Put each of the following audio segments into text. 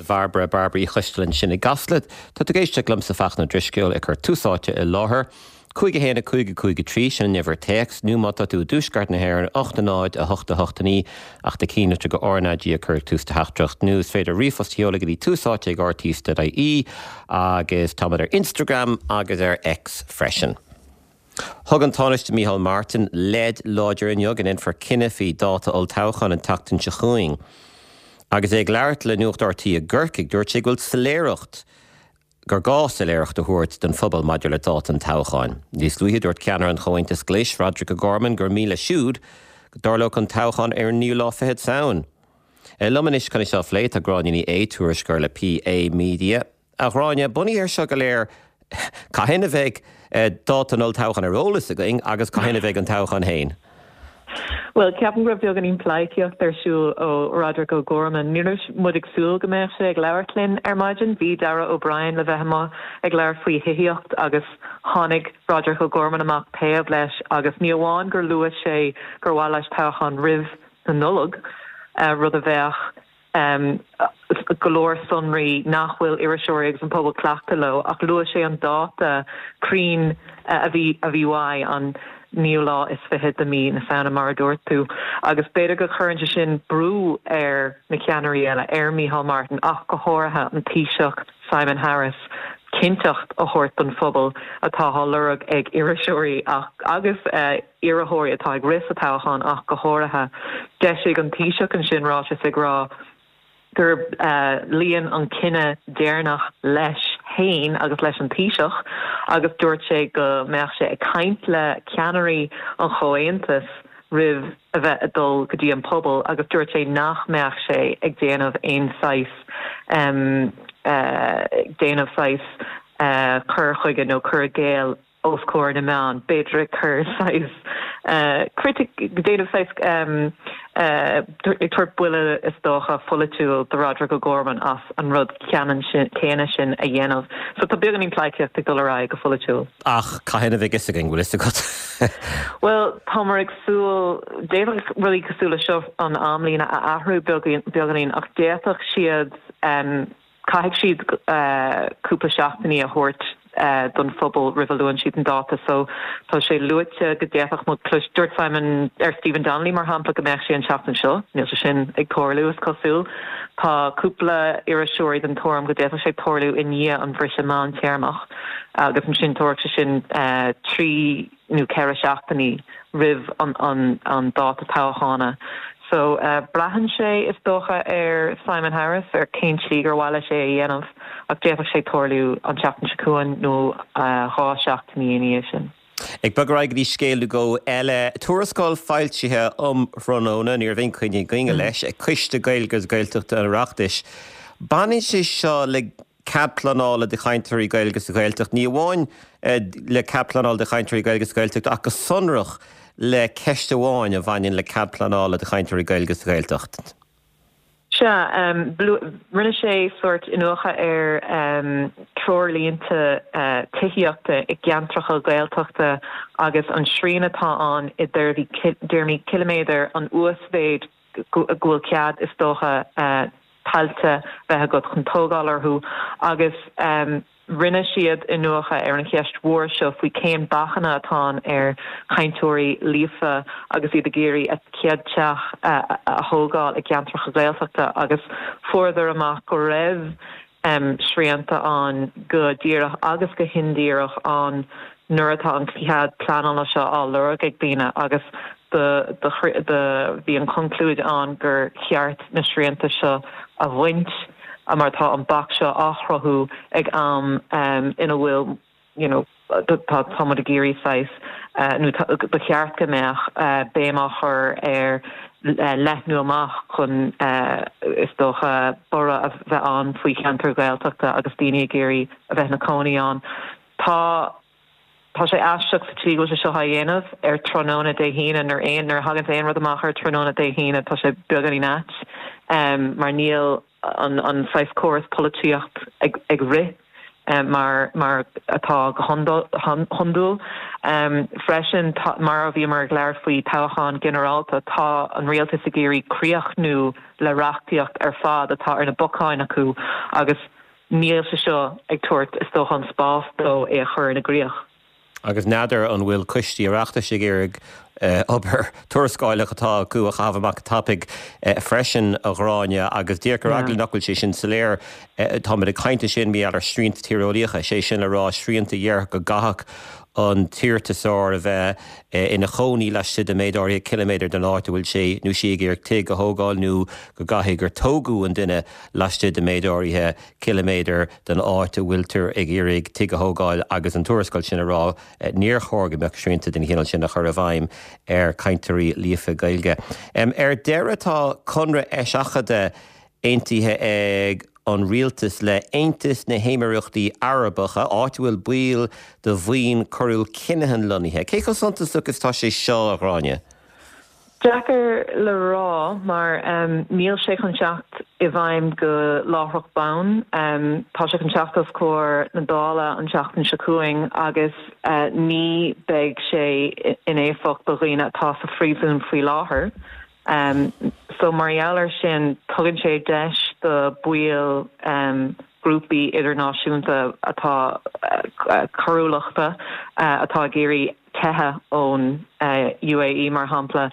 Bhairbre, Bairbre Uí Choisteala ansin i gCasla. Tá tú ag éisteacht liomsa Fachtna Ó Drisceoil ag cur Tús Áite i láthair. 5 1 5 5 3, sin an uimhir téacs, nó má tá tú i dtuaisceart na hÉireann, 8 0 8 8 9, ach do chinnlitir go RnaG a chur ag tús do theachtaireacht, nó is féidir ríomhphost a sheoladh go dtí túsáite ag rte.ie agus táimid ar Instagram agus ar X freisin. Thug an Tánaiste Micheál Martin leid láidir inniu go ndéanfar cinneadh faoi dháta olltoghcháin an tseachtain seo chugainn. Agus é ag labhairt le Nuacht RTÉ i gCorcaigh, dúirt sé go bhfuil soiléireacht, gur gá soiléireacht a thabhairt don phobal maidir le dáta an toghcháin. Níos luaithe, dúirt ceannaire an Chomhaontais Ghlais, Roderic O'Gorman, gur mian leis siúd go dtarlódh an toghchán ar an naoú lá fichead Samhain. Liom anois chun é seo a phlé tá Gráinne Ní Aodha, tuairisceoir le PA Media. A Ghráinne, bunaithe ar seo go léir, cathain a bheidh dáta an olltoghcháin ar eolas againn agus cathain a bheidh an toghchán féin? Bhuel, ceapaim go raibh beagáinín pleidhcíocht ar siúl ó Roderic O'Gorman. Ní raibh muid ag súil go mbeadh sé ag labhairt linn ar maidin. Bhí Darragh O'Brien le bheith amuigh ag labhairt faoi thithíocht agus tháinig Roderic O'Gorman amach taobh leis agus ní amháin gur luaigh sé gur mhaith leis toghchán roimh na Nollag, rud a bheadh go leor sonraí nach bhfuil iriseoirí agus an pobal cleachta leo, ach luaigh sé an dáta cruinn a bhí a bhí uaidh, an naoú lá is fichead de mí na Samhna, mar a dúirt tú. Agus b'fhéidir go cuireann sé sin brú ar na ceannairí eile, ar Micheál Martin ach go háirithe an Taoiseach Simon Harris, cinnteacht a thabhairt don phobal atá á lorg ag iriseoirí ach agus iarrthóirí atá ag rith sa toghchán ach go háirithe. D'eisigh an Taoiseach ansin ráiteas ag rá gur luíonn an cinneadh deireanach leis féin agus leis an Taoiseach agus dúirt sé go mbeadh sé ag caint le ceannairí an Chomhaontais roimh a bheith ag dul go dtí an pobal agus dúirt sé nach mbeadh sé ag déanamh aon saghas ag déanamh saghas cur chuige nó cur i gcéill os comhair na meán, b'fhéidir ag cur saghas critic, déanamh saghas ag tabhairt buille is dócha pholaitiúil do Roderic O'Gorman as an rud ceannann sin, céanna sin a dhéanamh. So tá beagáinín pleidhcíocht ag dul ar aghaidh go pholaitiúil. Ach cathain a bheidh fhios againn, bhfuil fhios agat? Bhuel, táimid ag súil, d'fhéadfadh rudaí cosúil le seo an amlíne a athrú beagáinín ach d'fhéadfadh siad, Caithfidh siad cúpla seachtainí a thabhairt don phobal roimh a luann siad an dáta so tá sé luaite go d'fhéadfadh muid clois, dúirt Simon, ar Stephen Donnelly mar shampla go mbeadh sé an tseachtain seo, níl sé sin ag tarlú is cosúil. Tá cúpla iriseoirí den tuairim go d'fhéadfadh sé tarlú i ndiaidh an bhriseadh meántéarmach agus ansin tabharfadh sé sin 3 nó 4 seachtainí roimh an dáta toghchána. So, braitheann sé, is dócha, ar Simon Harris, ar cén tslí gur mhaith leis é a dhéanamh, ach d'fhéadfadh sé tarlú an tseachtain seo chugainn nó 2 seachtainí ina dhiaidh sin. Ag bogadh ar aghaidh go dtí scéal nó dhó eile. Tuarascáil foilsithe um thráthnóna, ní raibh aon choinne againne leis, ag Coiste Gaeilge agus Gaeltachta an Oireachtais. Baineann sé seo le cead pleanála do chainteoirí Gaeilge sa Ghaeltacht, ní amháin le cead pleanála do chainteoirí Gaeilge sa Ghaeltacht ach go sonrach le ceist amháin a bhaineann le cead pleanála do chainteoirí Gaeilge sa Ghaeltacht. Sea, rinne sé sórt iniúchadh ar treoirlínte tithíochta i gceantracha Gaeltachta agus an srian atá ann i dtéarmaí ciliméadair, an uasmhéid go bhfuil cead, is dócha, tailte bheith agat chun tógáil orthu agus rinne siad iniúchadh ar an cheist mhór seo faoi cén bacanna atá ann ar chainteoirí líofa agus iad ag iarraidh a gcéad teach a thógáil i gceantracha Gaeltachta agus fuaireadar amach go raibh srianta ann go díreach agus go hindíreach ann nuair atá an cead pleanála seo á lorg ag daoine agus do do bhí an chonclúid ann gur cheart na srianta seo a bhaint mar tá an bac seo á chruthú ag am ina bhfuil you know tá tá muid ag iarraidh saghas nó ba cheart go mbeadh béim á chur ar leathnú amach chun is dócha borradh a bheith ann faoi cheantair Ghaeltachta agus daoine ag iarraidh a bheith ina cónaí ann. Tá tá sé aisteach sa tslí go bhfuil sé seo á dhéanamh ar tráthnóna Dé hAoine nuair aon nuair a thaganns aon rud amach ar tráthnóna Dé hAoine tá sé beagáinín ait mar níl an an saghas córas polaitíocht ag ag rith. Mar mar atá go hiondúil. Freisin, mar a bhíomar ag labhairt faoi toghchán ginearálta, tá an rialtas ag iarraidh críochnú le reachtaíocht ar fad atá ar na bacáin acu agus níl sé seo ag tabhairt, is dócha, an spás dó é a chur ina gcríoch. Agus n'fheadar an bhfuil coistí Oireachtais ag iarraidh obair tuarascáileach atá acu a chaitheamh amach go tapaidh freisin, a Ghráinne, agus díreach ar eagla nach bhfuil sé sin soiléir, táimid ag caint ansin mar gheall ar shrianta tíreolaíocha, sé sin le rá srianta a déarfadh go gcaithfeadh an t-iarratasóir a bheith ina chónaí laistigh de méid áirithe ciliméadar den áit a bhfuil sé nó sí ag iarraidh tigh a thógáil nó go gcaithfidh gur tógadh an duine laistigh de méid áirithe ciliméadar den áit a bhfuiltear ag iarraidh tigh a thógáil agus an tuarascáil sin ag rá níor chóir go mbeadh srianta den chineál sin á chur i bhfeidhm ar chainteoirí líofa Gaeilge. Ar deireadh tá conradh eiseachadta aontaithe ag an rialtas le Aontas na hÉimíríochtaí Arabacha, áit a bhfuil baill de bhuíon choiriúil Kinahan lonnaithe. Cé chomh suntasach is atá sé seo, a Ghráinne? Deacair le rá mar níl sé chun teacht i bhfeidhm go láithreach bonn. Tá sé chun teacht os comhair na Dála an tseachtain seo chugainn agus ní beidh sé in éifeacht do dhaoine atá sa phríosún faoi láthair. So mar gheall air sin tugann sé deis do baill grúpaí idirnáisiúnta atá coiriúlachta atá ag iarraidh teitheadh ón UAE, mar shampla,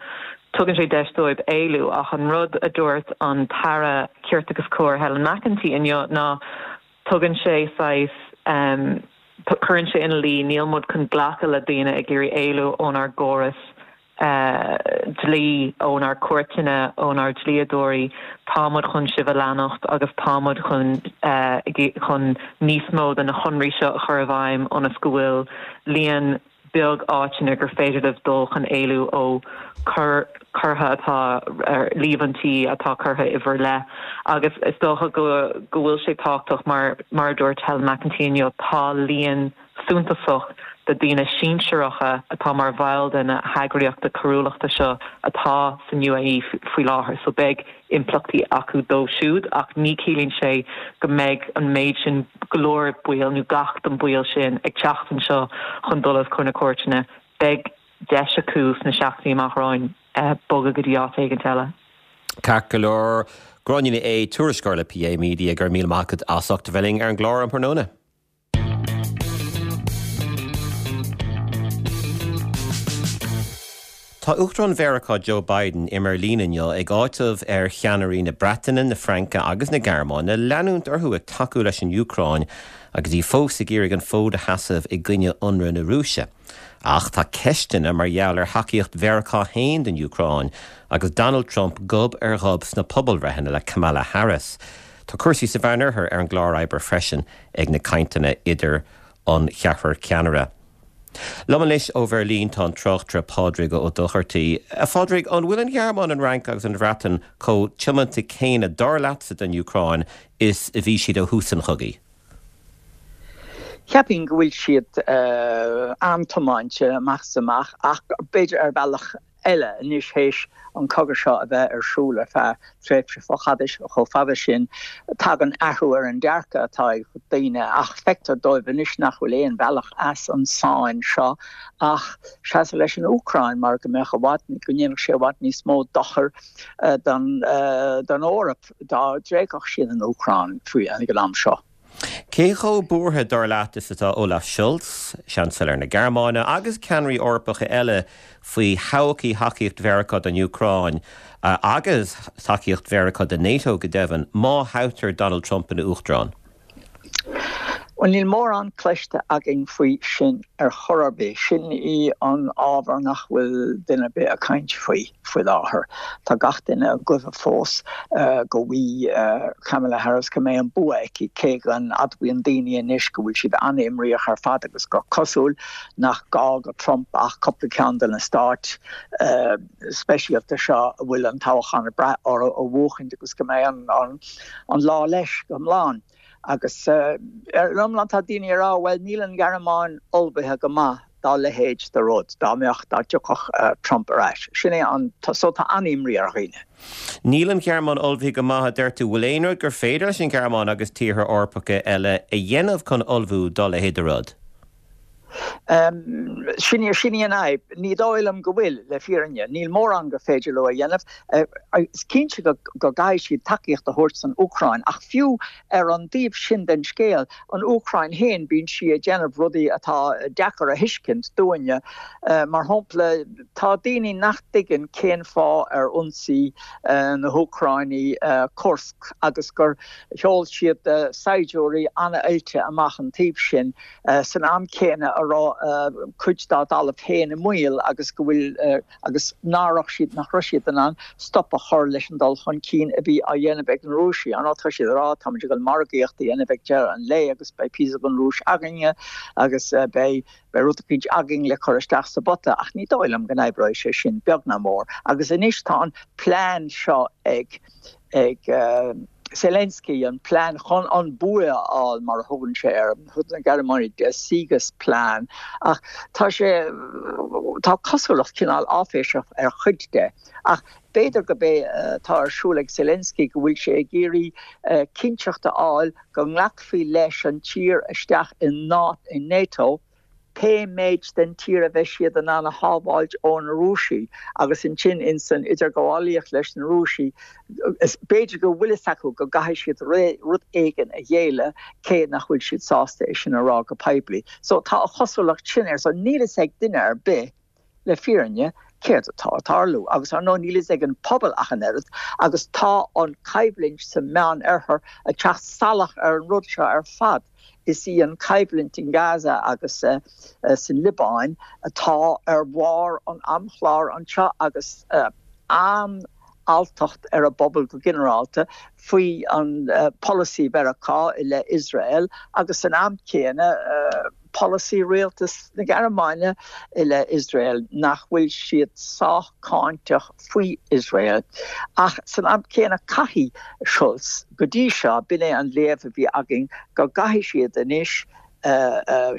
tugann sé deis dóibh éalú. Ach an rud a dúirt an tAire Cirt agus Cóir Helen McEntee inniu ná tugann sé saghas, cuireann sé ina luí níl muid chun glacadh le daoine ag iarraidh éalú ónár gcóras dlí, ónár gcúirteanna, ónár dlíodóirí. Tá muid chun sibh a leanacht agus tá muid chun chun níos mó de na conraí seo a chur i bhfeidhm ionas go bhfuil líon beag áiteanna gur féidir libh dul chun éalú ó coireacha atá ar líomhaintí atá curtha i bhur leith. Agus is dócha go go bhfuil sé tábhachtach mar mar a dúirt Helen McEntee inniu, tá líon suntasach de daoine sinsearacha atá mar bhaill de na heagraíochta coiriúlachta seo atá san UAE faoi láthair so beidh impleachtaí acu dóibh siúd ach ní ciallaíonn sé go mbeidh an méid sin go leor baill nó gach den baill sin ag teacht anseo chun dul os comhair na cúirteanna. Beidh deis acu sna seachtainí amach romhainn bogadh go dtí áit éigint eile. Ceart go leor. Gráinne Ní Aodha, tuairisceoir le PA Media, go raibh míle maith agat as ucht a bheith linn ar an gclár um thráthnóna. Tá Uachtarán Mheiriceá Joe Biden i mBeirlín inniu ag áiteamh ar cheannairí na Breataine, na Fraince agus na Gearmáine leanúint orthu ag tacú leis an Úcráin agus í fós ag iarraidh an fód a sheasamh i gcoinne ionradh na Rúise. Ach tá ceisteanna mar gheall ar thacaíocht Mheiriceá féin don Úcráin agus Donald Trump gob ar ghob sna pobalbhreitheanna le Kamala Harris. Tá cúrsaí sa Mheánoirthear ar an gclár oibre freisin ag na cainteanna idir an cheathrar ceannaire. Liom anois ó Bheirlín tá an tráchtaire Pádraig Ó Dochartaigh. A Phádraig, an bhfuil an Ghearmáin, an Fhrainc agus an Bhreatain chomh tiomanta céanna, dar leatsa, don Úcráin is a bhí siad ó thús an chogaidh? Cheapfainn go bhfuil siad an-tiomáinte amach is amach ach b'fhéidir ar bhealach eile anois théis an cogadh seo a bheith ar siúl ar feadh tréimhse chomh fada sin. Tagann athrú ar an dearcadh atá ag daoine ach feictear dóibh anois nach bhfuil aon bhealach as an sáinn seo ach seasamh leis an Úcráin mar go mbeadh i bhfad, go ndéanfadh sé i bhfad níos mó dochair don Eoraip dá dtréigfeadh siad an Úcráin faoi ag an am seo. Cé chomh buartha, dar leat, is atá Olaf Scholz, Seansailéir na Gearmáine, agus ceannairí Eorpacha eile faoi thodhchaí thacaíocht Mheiriceá don Úcráin, agus tacaíocht Mheiriceá do NATO go deimhin, má thoghtar Donald Trump ina Uachtarán? Bhuel, níl mórán cloiste againn faoi sin ar chor ar bith. Sin í an ábhar nach bhfuil duine ar bith ag caint faoi faoi láthair. Tá gach duine ag goimh fós go bhfaighidh Kamala Harris go mbeidh an bua aici, cé go n-admhaíonn daoine anois go bhfuil siad an-imríoch ar fad agus gur cosúil nach gá do Trump ach cúpla ceann de na stáit speisialta seo a bhfuil an toghchán ag brath orthu a bhuachaint agus go mbeidh an lá leis go hiomlán. Agus ar an iomlán tá daoine ag rá, bhuel níl an Ghearmáin ullmhaithe go maith. dá leithéid de rud, dá mbeadh, dá dtiocfadh Trump ar ais. Sin é an, so tá an-imní ar dhaoine. Níl an Ghearmáin ullmhaithe go maith, a deir tú. Bhfuil aon rud gur féidir leis an Ghearmáin agus tíortha Eorpacha eile a dhéanamh chun ullmhú dá leithéid de rud? Sin í, sin í an fhadhb. Ní dóigh liom go bhfuil, le fírinne. Níl mórán gur féidir leo a dhéanamh. Is cinnte go gcaithfidh siad tacaíocht a thabhairt don Úcráin, ach fiú ar an dtaobh sin den scéal, an Úcráin féin, bíonn sí ag déanamh rudaí atá deacair a thuiscint dúinne. Mar shampla, tá daoine nach dtuigeann cén fáth ar ionsaigh na hÚcráinigh Kursk agus gur sheol siad saighdiúirí an-oilte amach an taobh sin san am céanna a raibh cuid dá dtalamh féin i mbaol agus go bhfuil agus ná raibh siad, nach raibh siad in ann stop a chur leis an dul chun cinn a bhí á dhéanamh ag na Rúisigh. Ar ndóigh, tá siad ag rá, táimid ag dul margaíocht a dhéanamh ag deireadh an lae agus beidh píosa den Rúis againne agus beidh, beidh rud eicínt againn le cur isteach sa bpota ach ní dóigh liom go n-oibreoidh sé sin, beag ná mór. Agus anois tá an plean seo ag, ag Zelensky, an plean chun an bua a fháil mar a thugann sé air, thug na Gearmánaigh der Siegesplan, ach tá sé, tá cosúlacht cineál áiféiseach ar chuid de. Ach b'fhéidir gurb é atá ar siúl ag Zelensky go bhfuil sé ag iarraidh cinnteacht a fháil go nglacfaí leis an tír isteach i NATO, pé méid den tír a bheidh siad in ann a shábháilt ó na Rúisigh agus ansin ins an idirghabhálaíocht leis na Rúisigh is b'fhéidir go bhfuil fhios acu go gcaithfidh siad rud éigin a ghéilleadh cé nach bhfuil siad sásta é sin a rá go poiblí. So tá an chosúlacht sin air. So níl fhios ag duine ar bith le fírinne céard atá ag tarlú agus ar ndóigh níl fhios ag an pobal ach an oiread agus tá an coimhlint sa Meán Oirthear ag teacht salach ar an rud seo ar fad. Is í an choimhlint in Gaza agus san Liobáin atá ar bharr an amchláir anseo agus an-alltacht ar an bpobal go ginearálta faoi an polasaí Mheiriceá i leith Iosrael agus san am céanna polasaí rialtas na Gearmáine i leith Iosrael, nach bhfuil siad sách cáinteach faoi Iosrael. Ach san am céanna caithfidh Scholz, go dtí seo b'in é an léamh a bhí againn, go gcaithfidh siad anois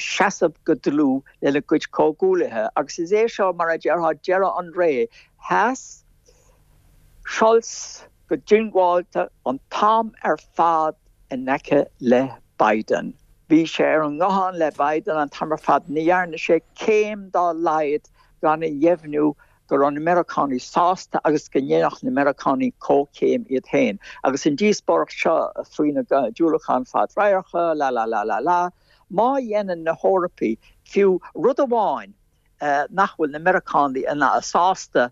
seasamh go dlúth lena gcuid comhghuaillithe. Agus is é seo, mar a déarfá, deireadh an ré. Sheas Scholz go diongbháilte an t-am ar fad in aice le Biden. Bhí sé ar an nguthán le Biden an t-am ar fad. Ní dhearna sé céim dá laghad gan a dheimhniú go raibh na Meiriceánaigh sásta agus go ndéanfadh na Meiriceánaigh comhchéim iad féin. Agus an díospóireacht seo faoi na diúracáin fadradharctha, la la la la la, má dhéanann na hEorpaigh fiú rud amháin nach bhfuil na Meiriceánaigh sásta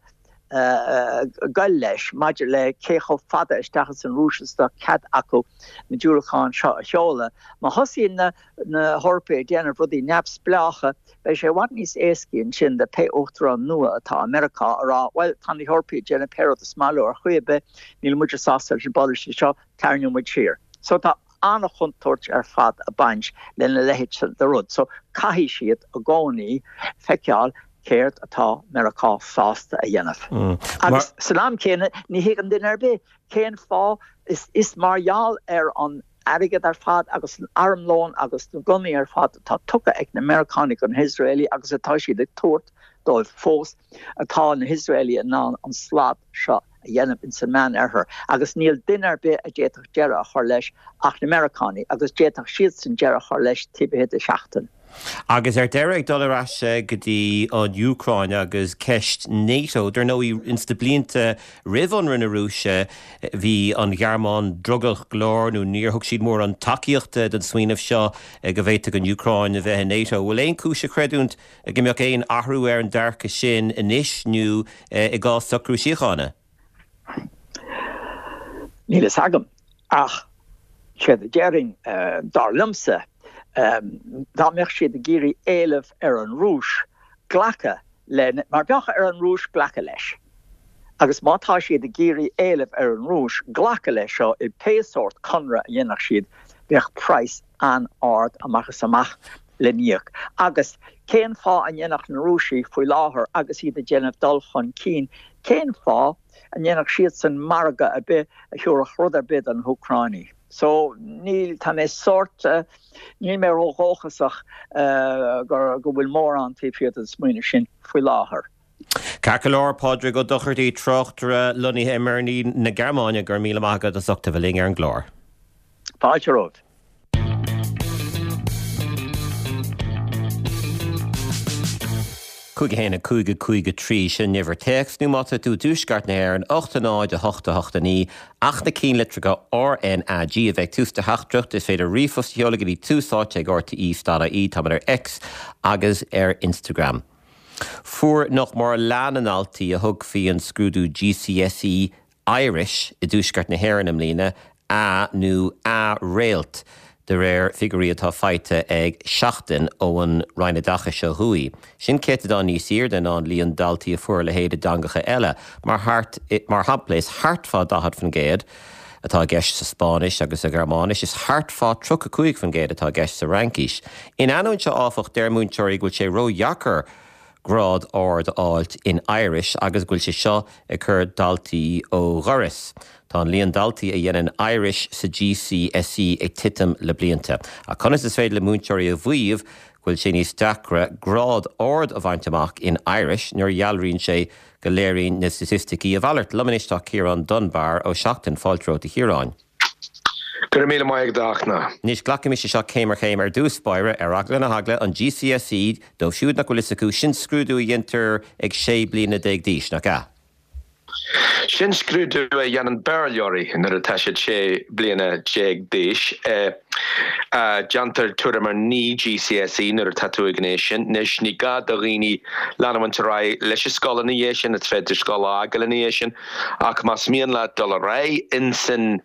goil leis maidir le cé chomh fada isteach ins an Rúis is atá cead acu na diúracáin seo a sheoladh. Má thosaíonn na hEorpaigh ag déanamh rudaí neamhspleácha, beidh sé i bhfad níos éascaí ansin do pé uachtarán nua atá i Meiriceá a rá, bhuel, tá na hEorpaigh ag déanamh pé rud is maith leo ar chaoi ar bith, níl muide sásta leis an bpolasaí seo, tarraingeoidh muid siar. So tá. an-chontúirt ar fad ag baint lena leithéid de rud. So caithfidh siad i gcónaí feiceáil céard atá Meiriceá sásta a dhéanamh. Agus san am céanna ní thuigeann duine ar bith cén fáth is mar gheall ar an airgead ar fad agus an armlón agus na gunnaí ar fad atá tugtha ag na Meiriceánaigh do na hIosraelaigh agus atá siad ag tabhairt dóibh fós atá na hIosraelaigh in ann an slad seo a dhéanamh ins an Meán-Oirthear agus níl duine ar bith a d'fhéadfadh deireadh a chur leis ach na Meiriceánaigh agus d'fhéadfadh siadsan deireadh a chur leis taobh thiar de sheachtain. Agus ar deireadh, ag dul ar ais go dtí an Úcráin agus ceist NATO, dar ndóigh ins na blianta roimh ionradh na Rúise bhí an Ghearmáin drogallach go leor nó níor thug siad mórán tacaíochta don smaoineamh seo go bhféadfadh an Úcráin a bheith i NATO. Bhfuil aon chúis a chreidiúint go mbeadh aon athrú ar an dearcadh sin anois nó i gcás socrú síochána? Níl fhios agam, ach séard a déarfainn, dar liomsa, dá mbeadh siad ag iarraidh éileamh ar an Rúis glacadh le, mar bheadh ar an Rúis glacadh leis, agus má tá siad ag iarraidh éileamh ar an Rúis glacadh leis seo i pé sórt conradh a dhéanfadh siad, bheadh praghas an-ard amach is amach le n-íoc. Agus cén fáth a ndéanfadh na Rúisigh faoi láthair agus iad ag déanamh dul chun cinn, cén fáth? An ndéanfadh siadsan margadh ar bith a thabharfadh rud ar bith do na hÚcráinigh? So, níl, tá mé sórt, níl mé ródhóchasach gur, go bhfuil mórán taobh thiar den smaoineamh sin faoi láthair. Ceart go leor, Pádraig Ó Dochartaigh, tráchtaire lonnaithe i mBeirlín na Gearmáine, go raibh míle maith agat as ucht a bheith linn ar an gclár. Fáilte romhat. 5 1 5 5 3 Sin an uimhir téacs, nó má tá tú i dtuaisceart na hÉireann, 8 0 8 8 9, ach na cinnlitreacha R N A G a bheith ag tús do theachtaireacht. Is féidir ríomhphost a sheoladh go dtí tús áite ag rte dot ie. Táimid ar X agus ar Instagram. Fuair nach mór leath na ndaltaí a thug faoi an scrúdú GCSE Irish i dtuaisceart na hÉireann i mbliana, A nó A réalt, de réir figiúirí atá faighte ag Seachtain ón Roinn Oideachais ó thuaidh. Sin céatadán níos airde ná an líon daltaí a fuair a leithéid i dteangacha eile, mar mar shampla is thart fá 40% atá i gceist sa Spáinnis agus sa Ghearmáinis, is thart fá 35% atá i gceist sa Fhraincis. In ainneoin seo, áfach, deir múinteoirí go bhfuil sé ródheacair grád ard a fháilt in Irish agus go bhfuil sé seo ag cur daltaí ó dhoras. Tá an líon daltaí a dhéanann Irish sa GCSE ag titim le blianta. Ach conas is féidir le múinteoirí a mhaíomh go bhfuil sé níos deacra grád ard a bhaint amach in Irish nuair a dhealraíonn sé go léiríonn na staitisticí a mhalairt? Liom anois tá Ciarán Dunbar ó Seachtain. Fáilte romhat a Chiaráin. Go raibh míle maith agat a Fhachtna. Anois, glacaimis é seo céim ar chéim. Ar dtús báire, ar eagla na heagla, an GCSE, dóibh siúd nach bhfuil fhios acu, sin scrúdú a dhéantar ag 16 bliana d'aois, nach ea? Sin scrúdú a dhéanann Béarlóirí nuair atá siad 16 bliana d'aois. Déantar tuairim ar 9 GCSE nuair atá tú ag an aois sin. Anois, ní gá do dhaoine leanúint ar aghaidh leis an scoil ina dhiaidh sin, is féidir scoil a fhágáil ina dhiaidh sin. Ach más mian leat dul ar aghaidh insan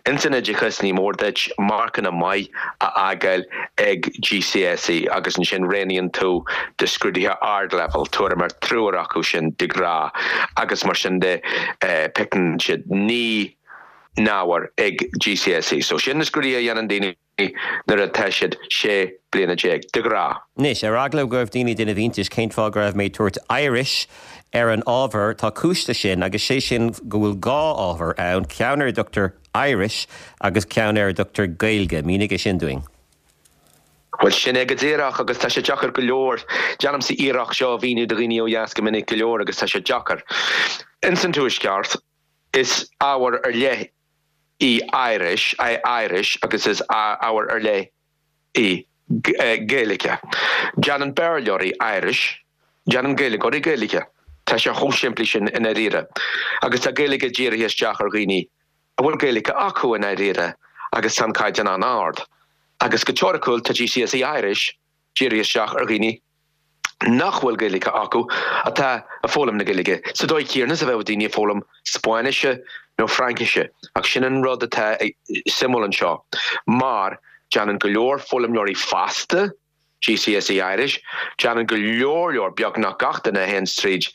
insan oideachas ní mór duit marcanna maith a fhágáil ag GCSE agus ansin roghnaíonn tú do scrúduithe ardleibhéil, tuairim ar triúr acu sin de ghnáth agus mar sin de piocann siad 9 n-ábhar ag GCSE. So sin na scrúduithe a dhéanann daoine. nuair atá siad 16 bliana, de ghnáth. Anois, ar eagla go raibh daoine ag déanamh iontais cén fáth go raibh mé ag tabhairt Irish ar an ábhar, tá cúis leis sin, agus sé sin go bhfuil dhá ábhar ann, ceann ar a dtugtar Irish agus ceann ar a dtugtar Gaeilge. Mínigh é sin dúinn. Bhuel, sin é go díreach, agus tá sé deacair go leor. Déanaimse iarracht seo a mhíniú do dhaoine ó dheas go minic go leor agus tá sé deacair. Ins an Tuaisceart, is ábhar ar leith í Irish, é Irish agus is ábhar ar leith í Gaeilge. Déanann Béarlóirí Irish, déanann Gaeilgeoirí Gaeilge. Tá sé chomh simplí sin i ndáiríre. Agus tá Gaeilge dírithe isteach ar dhaoine a bhfuil Gaeilge acu i ndáiríre agus tá an caighdeán an-ard. Agus go teoiriciúil tá GCSE Irish dírithe isteach ar dhaoine nach bhfuil Gaeilge acu atá ag foghlaim na Gaeilge sa dóigh chéanna is a bheadh daoine ag foghlaim Spáinnise nó Fraincise. Ach sin an rud atá suimiúil anseo mar déanann go leor foghlaimeoirí fásta GCSE Irish, déanann go leor leor, beagnach gach duine a théann tríd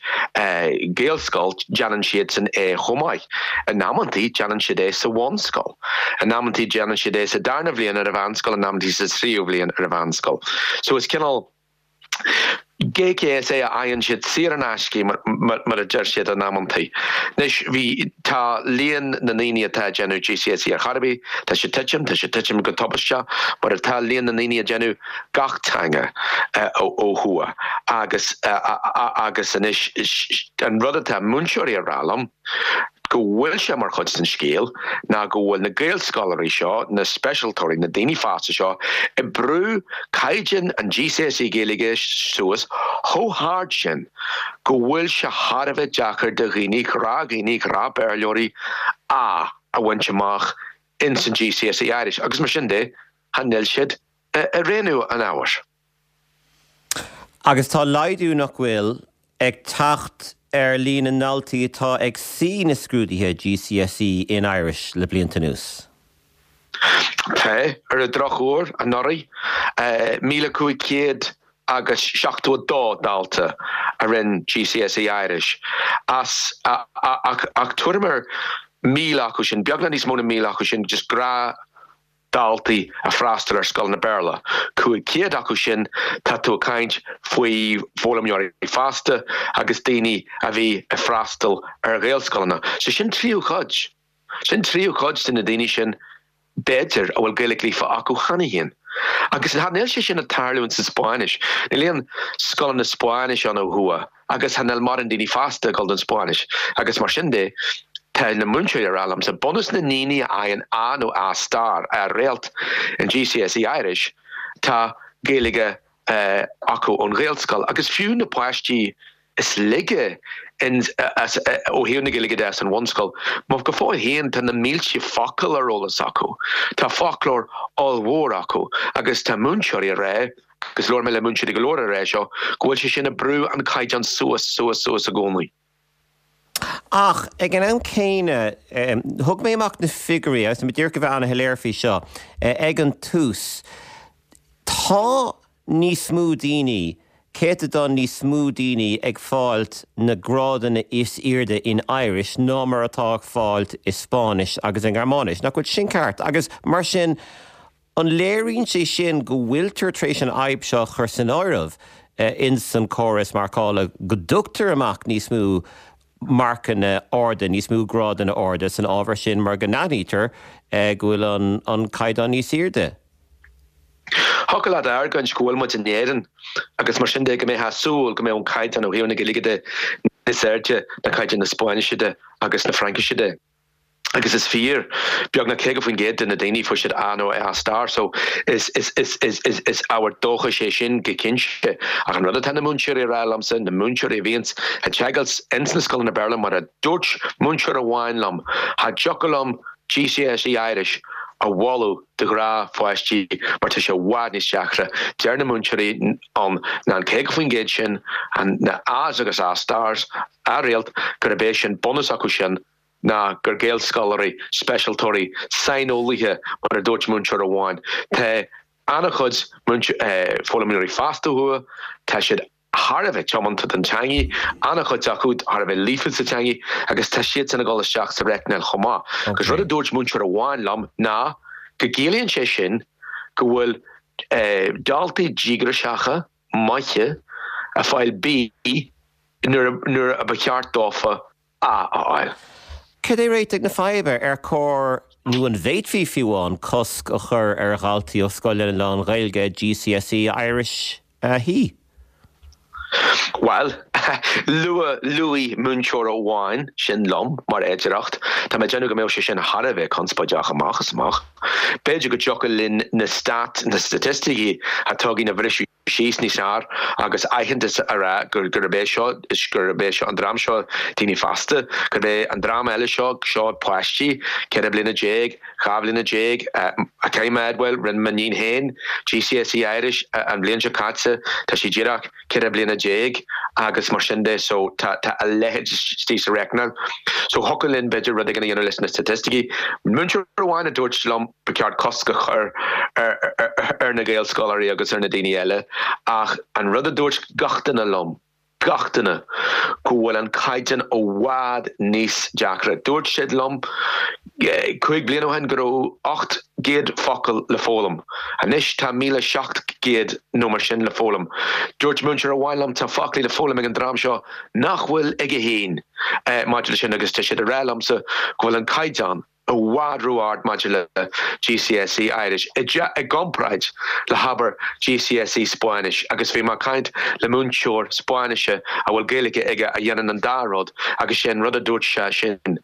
Gaelscoil, déanann siadsan é chomh maith. In amantaí déanann siad é sa bhunscoil. In amantaí déanann siad é sa darna bhliain ar an mheánscoil, in amantaí sa tríú bhliain ar an mheánscoil. So is cineál GCSE a fhaigheann siad saor in aisce mar a deir siad in amantaí. Anois bhí, tá líon na ndaoine atá ag déanamh GCSE ar chor ar bith, tá sé ag titim, tá sé ag titim go tubaisteach mar atá líon na ndaoine ag déanamh gach teanga ó thuaidh agus agus anois an rud atá múinteoirí ag rá liom, go bhfuil sé mar chuid den scéal ná go bhfuil na Gaelscoláirí seo, na speisialtóirí, na daoine fásta seo ag brú caighdeán an GCSE Gaeilge suas chomh hard sin go bhfuil sé thar a bheith deacair do dhaoine, gnáthdhaoine, gnáth-Bhéarlóirí, A a bhaint amach ins an GCSE Irish agus mar sin de, cha níl siad ag roghnú an ábhair. Agus tá laghdú, nach bhfuil, ag teacht ar líon na ndaltaí atá ag suí na scrúduithe GCSE in Irish le blianta anuas. Tá, ar an drochuair, anuraidh, 1,500 agus 72 dalta a rinne GCSE Irish as ach tuairim ar 1,000 acu sin, beagnach níos mó na 1,000 acu sin, just gnáth. daltaí ag freastal ar scoileanna Béarla. 500 acu sin, tá tú ag caint faoi foghlaimeoirí fásta agus daoine a bhí ag freastal ar Ghaelscoileanna. So sin tríú cuid. Sin tríú cuid de na daoine sin b'fhéidir, a bhfuil Gaeilge líofa acu cheana féin. Agus níl sé sin ag tarlúint sa Spáinnis. Níl aon scoileanna Spáinnise ann ó thuaidh agus níl mórán daoine fásta ag dul don Spáinnis. Agus mar sin de, tá na múinteoirí ag rá liomsa, bunús na ndaoine a fhaigheann A nó A star, A réalt, in GCSE Irish, tá Gaeilge acu ón Ghaelscoil agus fiú na páistí is laige ó thaobh na Gaeilge de san bhunscoil, má go fóill féin tá na mílte focal ar eolas acu, tá foclóir ollmhór acu agus tá múinteoirí ag rá, agus labhair mé le múinteoirí go leor ag rá seo, go bhfuil sé sin ag brú an caighdeán suas, suas, suas i gcónaí. Ach ag an am céanna, thug mé amach na figiúirí, agus tá mé díreach a bheith an-shoiléir faoi seo, ag an tús, tá níos mó daoine, céatadán níos mó daoine ag fáilt na grádanna is airde in Irish ná mar atá ag fáilt i Spáinnis agus i nGearmáinis. Nach bhfuil sin ceart? Agus mar sin, An léiríonn sé sin go bhfuiltear tar éis an fhadhb seo a chur san áireamh ins an córas marcála, go dtugtar amach níos mó marcanna arda, níos mó grádanna arda san ábhar sin mar go n-aithnítear go bhfuil an caighdeán níos airde? Thiocfadh leat a argóint go bhfuil muid in Éirinn agus mar sin de go mbeifeá ag súil go mbeadh an caighdeán ó thaobh na Gaeilge de níos airde ná caighdeán na Spáinnise de agus na Fraincise de. Agus is fíor, beagnach 50% de na daoine fuair siad A nó A star, so is is is is is is ábhar dóchais é sin go cinnte. Ach an rud atá na múinteoirí a rá liomsa, na múinteoirí a bhíonns ag teagasc ins na scoileanna Béarla, mar a dúirt múinteoir amháin liom, cha dtiocfadh liom GCSE Irish a mholadh do ghnáthpháistí mar tá sé i bhfad níos deacra. Deir na múinteoirí ann ná an 50% sin, an na A's agus A stars, A réalt, gurb é sin bunús acu sin ná gur Gaelscoláirí, speisialtóirí, saineolaithe, mar a dúirt múinteoir amháin. Tá an-chuid foghlaimeoirí fásta ó thuaidh, tá siad thar a bheith tiomanta don teangaidh, an-chuid acu thar a bheith líofa sa teangaidh agus tá siadsan ag dul isteach sa reicneáil chomh maith. Agus rud a dúirt múinteoir amháin liom ná go gciallaíonn sé sin go bhfuil daltaí díograiseacha, maithe, ag fáil B nuair a ba cheart dófa A a fháil. Cad é réiteach na faidhbe? Ar chóir, nó an bhféadfaí fiú amháin, cosc a chur ar dhaltaí ó scoileanna lán-Ghaeilge GCSE Irish a shuí? Bhuel, luaigh múinteoir amháin sin liom mar fhéidearthacht. Tá mé ag déanamh go mbeadh sé sin thar a bheith conspóideach amach is amach. B'fhéidir go dtiocfadh linn na stat, na staitisticí atá againn a bhriseadh síos níos fearr agus aitheantas a rá gurb é seo, gurb é seo an dream seo daoine fásta, gurb é an dream eile seo, seo páistí, 14 bliana, 12 bhliana. Caithfidh mé a admháil, rinne m'iníon féin GCSE Irish an bhliain seo caite, tá sí díreach 14 bliana agus mar sin de so tá a leithéid istigh sa reicneáil. So thiocfadh linn b'fhéidir rud éigin a dhéanamh leis na staitisticí. Múinteoir amháin a dúirt liom, Ba cheart cosc a chur ar na Gaelscoláirí agus ar na daoine eile ach an rud a dúirt gach duine liom, gach duine, go bhfuil an caighdeán i bhfad níos deacra. Dúirt siad liom 5 bliana ó shin go raibh 800 focal le foghlaim. Anois tá 1,700 nó mar sin le foghlaim. Dúirt múinteoir amháin liom tá foclaí le foghlaim ag an dream seo nach bhfuil aige féin maidir leis sin agus tá siad ag rá liomsa go bhfuil an caighdeán i bhfad ró-ard maidir le GCSE Irish i gcomparáid le habair GCSE Spáinnis agus bhí mé ag caint le múinteoir Spáinnise a bhfuil Gaeilge aige a dhéanann an dá rud agus sé an rud a dúirt sé sin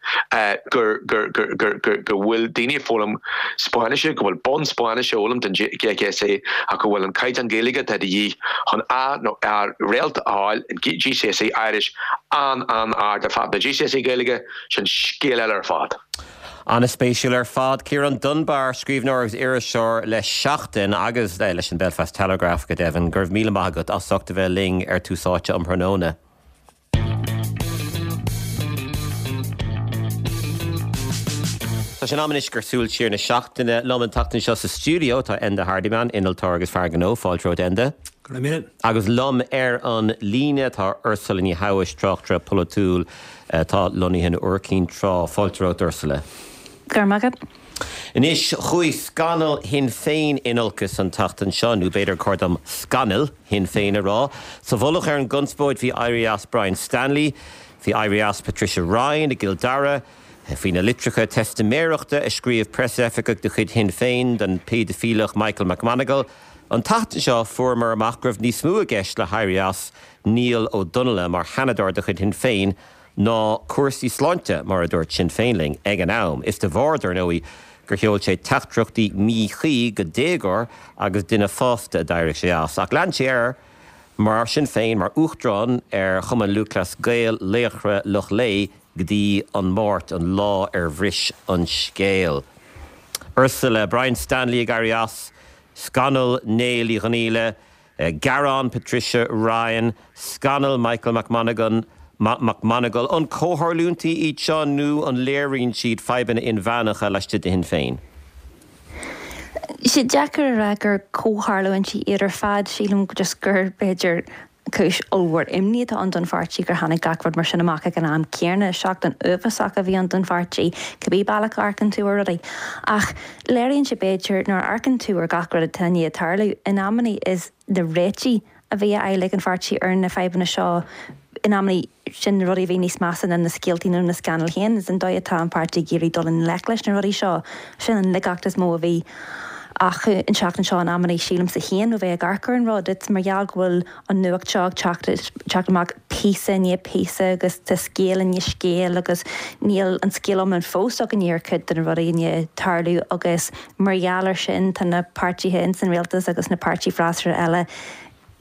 gur gur gur gur gur go bhfuil daoine ag foghlaim Spáinnise, go bhfuil bonn Spáinnise a fhoghlaim don GCSE ach go bhfuil an caighdeán Gaeilge atá de dhíth chun A nó A réalt a fháil in GCSE Irish an-an-ard ar fad. Na GCSE Gaeilge Sin scéal eile ar fad. An-spéisiúil ar fad. Ciarán Dunbar, scríbhneoir agus iriseoir le Seachtain agus leis an Belfast Telegraph go deimhin. Go raibh míle maith agat as ucht a bheith linn ar Tús Áite um thráthnóna. Tá sé in am anois gur súil siar na seachtaine. Liom an tseachtain seo sa stiúideo tá Enda Hardiman, innealtóir agus fear gnó. Fáilte romhat Enda. Go raibh míle. Agus liom ar an líne tá Ursula Ní Thomhais, tráchtaire polaitiúil. atá lonnaithe in Iúr Cinn Trá. Fáilte romhat, Ursula. Go raibh maith agat. Anois, chuaigh scannal Shinn Féin in olcas an tseachtain seo, nó b'fhéidir gur chóir dom scannail Shinn Féin a rá. Sa mhullach ar an gconspóid bhí éirí as Brian Stanley, bhí éirí as Patricia Ryan i gCill Dara, faoi na litreacha teistiméireachta a scríobh preasoifigeach de chuid Shinn Féin don bpéidifileach Michael McMonagle. An tseachtain seo fuaireamar amach go raibh níos mó i gceist le héirí as Niall Ó Donnaile mar Sheanadóir de chuid Shinn Féin ná cúrsaí sláinte, mar a dúirt Sinn Féin linn ag an am. Is de bharr, dar ndóigh, gur sheol sé teachtaireachtaí míchuí go déagóir agus duine fásta a d'éirigh sé as. Ach lean sé air, mar sin féin, mar Uachtarán ar Chumann Lúthchleas Gael Laochra Loch Lao go dtí an Máirt, an lá ar bhris an scéal. Ursula, Brian Stanley ag éirí as, scannal Néill Uí Dhonnaíle, Gearán Patricia Ryan, Scannal Michael McMonagle, McMonagle, An comhtharlúintí iad seo nó an léiríonn siad fadhbanna inmheánacha laistigh de Shinn Féin? Tá sé deacair a rá gur comhtharlúintí iad ar fad. Sílim just gur, b'fhéidir, cúis ollmhór imní atá ann don pháirtí gur tháinig gach rud mar sin amach ag an am céanna. Seachtain uafásach a bhí ann don pháirtí, cibé bealach a amharcann tú ar rudaí. Ach Léiríonn sé b'fhéidir, nuair a amharcann tú ar gach rud atá i ndiaidh tarlú, in amannaí is na réitigh a bhí á fháil ag an pháirtí ar na fadhbanna seo, in amannaí sin na rudaí a bhí níos measa ná na scéaltaí nó na scannail féin. Is an dóigh atá an páirtí ag iarraidh dul i ngleic leis na rudaí seo, sin an laigeacht is mó a bhí acu an tseachtain seo in amannaí, sílimse féin, ó bheith ag amharc ar an rud. It's mar gheall go bhfuil an nuacht seo ag teacht amach píosa i ndiaidh píosa agus tá scéal i ndiaidh scéil agus níl an scéal iomlán fós againn ar chuid de na rudaí i ndiaidh tarlú agus mar gheall ar sin tá na páirtithe ins an rialtas agus na páirtithe freasúra eile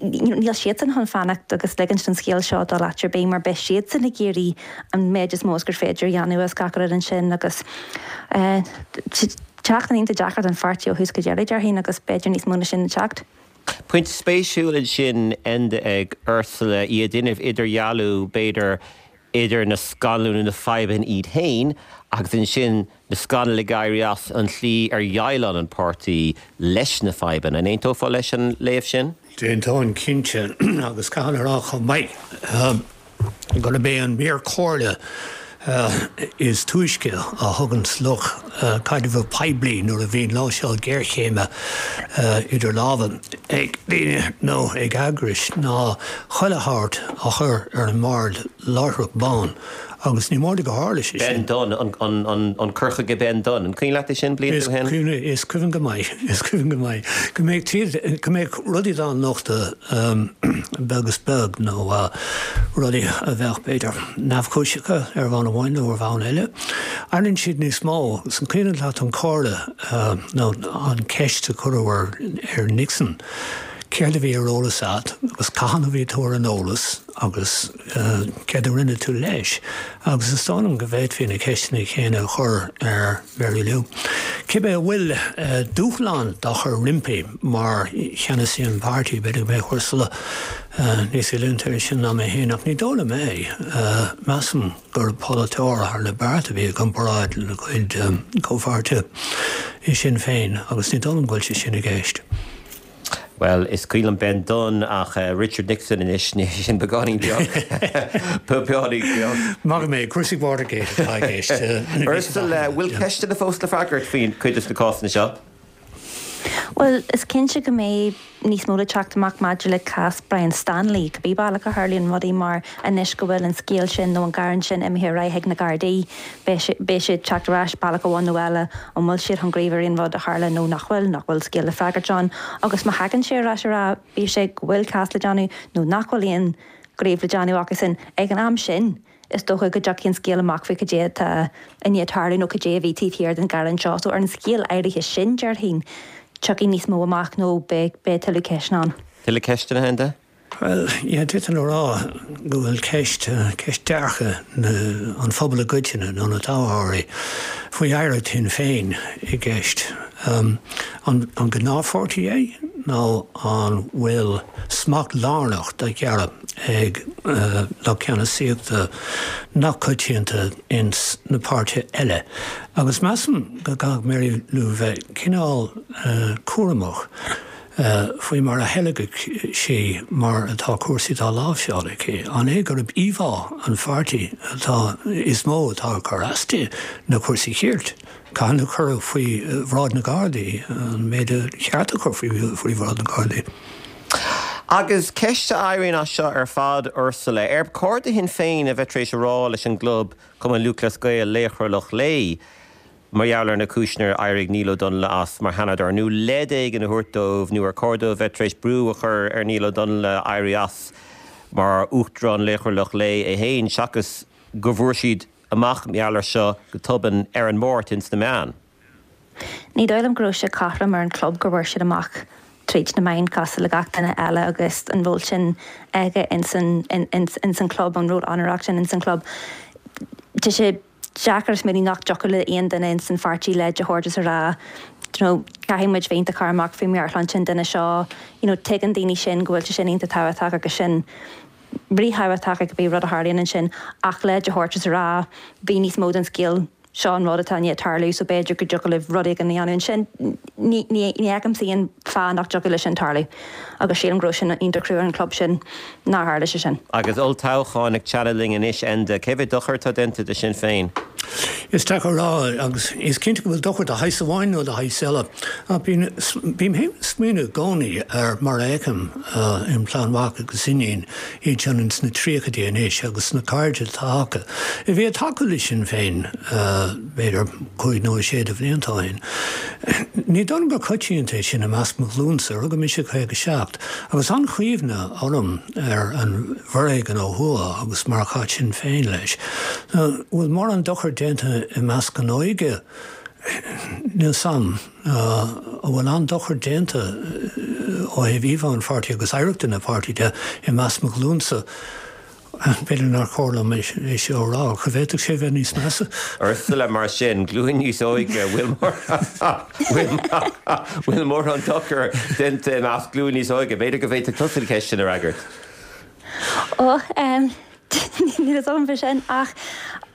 níl siadsan chun fanacht agus ligint don scéal seo dul áit ar bith mar beidh siadsan ag iarraidh an méid is mó is gur féidir a dhéanamh as gach rud ansin agus seachtain iontach deacair don pháirtí ó thús go deireadh déarfainn agus b'fhéidir níos mó ná sin le teacht. Pointe spéisiúil ansin, Enda, ag Ursula, í ag déanamh idirdhealú, b'fhéidir, idir na scannail nó na fadhbanna iad féin agus ansin na scannail ag éirí as an tslí ar dhéileáil an páirtí leis na fadhbanna. An aontófá leis an léamh sin? D'aontóinn cinnte, agus caithfidh mé a rá chomh maith, gurb é an mír comhairle is túisce a thugann lucht caidreamh poiblí nuair a bhíonn láimhseáil géarchéime idir lámha ag daoine nó ag eagrais ná chuile shórt a chur ar an mbord láithreach bonn agus ní mór do go tharla sé sin. Ben Dunne, an cur chuige Ben Dunne. An cuimhin leat é sin blianta ó shin? Is cuimhin go maith, is cuimhin go maith go mbeadh, go mbeadh rudaí dá nochtadh beag is beag nó rudaí a bheadh, b'fhéidir, neamhchúiseacha ar bhonn amháin nó ar bhonn eile. Airíonn siad níos mó. Agus an cuimhin leat an comhairle nó an ceist a cuireadh ar Nixon, céard a bhí ar eolas agat agus cathain a bhí tú ar an eolas agus céard a rinne tú leis? Agus is dóigh liom go bhféadfaí na ceisteanna céanna a chur ar Mary Lou. Cibé an bhfuil dúshlán dá chur roimpi mar cheannasaí an pháirtí, b'fhéidir go mbeadh Ursula níos oiliúnta air sin ná mé féin, ach ní dóigh liom é. Measaim gur polaiteoir thar na bearta a bhí i gcomparáid lena cuid comhpháirtithe i Sinn Féin agus ní dóigh liom go bhfuil sé sin i gceist. Bhuel, is cuimhin liom Ben Dunne ach Richard Nixon anois, níl sin beagáinín beag. Beagáinín beag. Maith go mbeidh cúrsaí Watergate atá i gceist. Ursula, bhfuil ceisteanna fós le freagairt faoi chuid de na cásanna seo? Bhuel, is cinnte go mbeidh níos mó le teacht amach maidir le cás Brian Stanley, cibé bealach a tharlaíonn rudaí mar anois go bhfuil an scéal sin nó an gearán sin imithe ar aghaidh chuig na Gardaí, Beidh sé ag teacht ar ais bealach amháin nó eile, an bhfuil siad chun gníomh ar aon rud a tharla nó nach bhfuil, nach bhfuil scéal le freagairt ann. Agus má thagann sé ar ais a rá, bíodh sé go bhfuil cás le déanamh nó nach bhfuil aon ghníomh le déanamh acusan, ag an am sin, is dócha go dtiocfaidh an scéal amach faoi cad é atá i ndiaidh tarlú nó cad é a bhí taobh thiar den ghearán seo. So ar an scéal áirithe sin, déarfainn, tiocfaidh níos mó amach nó beidh tuilleadh ceisteanna ann. Tuilleadh ceisteanna, a Enda? Bhuel, yeah, d'fhéadfainn a rá go bhfuil ceist, ceist dearcadh na, an phobail i gcoitinne nó na toghthóirí faoi oidhreacht Shinn Féin i gceist. An, an gnáthpháirtí é nó an bhfuil smacht lárnach dá ghearradh ag lucht ceannasaíochta nach coitianta ins na páirtithe eile? Agus measaim go gcaithfidh Mary Lou bheith cineál cúramach. Faoi mar a theilgeadh sí mar atá cúrsaí dá láimhseáil aici, an é gurb íomhá an pháirtí atá is mó atá ag cur as di na cúrsaí cirt? Cathain a cuireadh faoi bhráid na Gardaí an méid a cheart a chur faoi bhráid na Gardaí? Agus ceist a éiríonn as seo ar fad, Ursula, ar chóir do Shinn Féin a bheith tar éis a rá leis an gclub Cumann Lúthchleas Gael, Laochra Loch Lao, mar gheall ar na cúiseanna ar éirigh Niall Ó Donnghaile as mar Sheanadóir, nó leid éigin a thabhairt dóibh, nó ar chóir dóibh bheith tar éis brú a chur ar Niall Ó Donnghaile éirí as mar Uachtarán Laochra Loch Lao é féin, seachas go bhfuair siad amach mar gheall air seo go tobann ar an Máirt ins na meáin? Ní dóigh liom go raibh sé cothrom ar an chlub go bhfuair siad amach tríd na meáin cosúil le gach duine eile agus an ról sin aige ins an ins an chlub, an ról onórach sin ins an chlub. Tá sé deacair a smaoineamh nach dtiocfadh le aon duine ins an pháirtí leid a thabhairt is a rá you know caithfidh muid bheith iontach cúramach faoi mheabhairshláinte an duine seo, you know tuigeann daoine sin go bhfuil sé sin iontach tábhachtach agus sin ríthábhachtach ag cibé rud a tharlaíonn ansin ach leid a thabhairt is a rá bhí níos mó den scéal seo an rud atá i ndiaidh tarlú so b'fhéidir go dtiocfadh libh rud éigin a dhéanamh ansin. Ní ní fheicimse aon fáth nach dtiocfadh leis sin tarlú agus sílim go raibh sin iontach crua ar an chlub sin nár tharla sé sin. Agus olltoghchán ag teannadh linn anois, Enda, cé mhéad dochar atá déanta do Shinn Féin? Is deacair a rá agus is cinnte go bhfuil dochar de shaghas amháin nó de shaghas eile. Ach bím féin ag smaoineamh i gcónaí ar mar a fheicim im chlann mhac agus iníon, iad sin ins na tríochaidí anois agus na cairde atá acu, a bhí ag tacú le Sinn Féin b'fhéidir cúig nó sé de bhlianta ó shin. Ní dóigh liom gur coitianta é sin i measc mo ghlúnsa, rugadh mise i 57, agus an-chuimhne orm ar an bhforéigean ó thuaidh agus mar a chaith Sinn Féin leis. An bhfuil mórán dochair déanta i measc an óige? Níl 's a'm. An bhfuil an-dochar déanta ó thaobh íomhá an pháirtí agus oidhreachta na páirtí de i measc mo ghlúnsa? B'fhéidir nár chóir liom é seo a rá, ach bhféadfadh sé bheith níos measa. Ursula, Mar sin, glúin níos óige, bhfuil bhfuil mórán dochar déanta i measc glúin níos óige? B'fhéidir go bhféadfadh tusa an cheist sin a fhreagairt. Ó, Níl fhios agam fé sin ach